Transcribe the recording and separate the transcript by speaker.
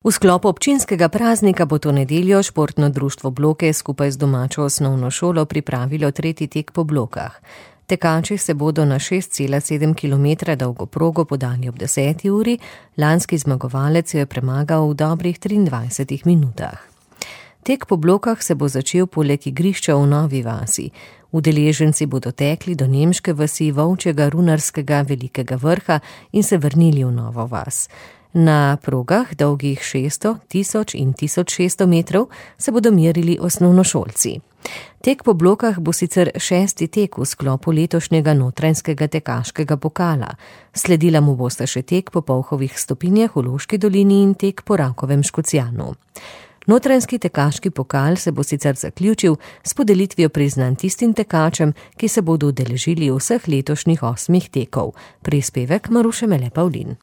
Speaker 1: V sklopu občinskega praznika bo to nedeljo športno društvo Bloke skupaj z domačo osnovno šolo pripravilo tretji tek po Blokah. Tekači se bodo na 6,7 km dolgo progo podali ob 10. uri, lanski zmagovalec jo je premagal v dobrih 23 minutah. Tek po Blokah se bo začel poleg igrišča v Novi vasi. Udeleženci bodo tekli do nemške vasi Volčjega Runarskega Velikega Vrha in se vrnili v Novo vas. Na progah, dolgih 600, 1000 in 1600 metrov, se bodo merili osnovnošolci. Tek po Blokah bo sicer 6. tek v sklopu letošnjega notranjskega tekaškega pokala. Sledila mu bosta še tek po Polhovih stopinjah v Loški dolini in tek po Rakovem Škocjanu. Notranjski tekaški pokal se bo sicer zaključil s podelitvijo priznanj tistim tekačem, ki se bodo udeležili vseh letošnjih 8 tekov. Prispevek Maruše Mele Pavlin.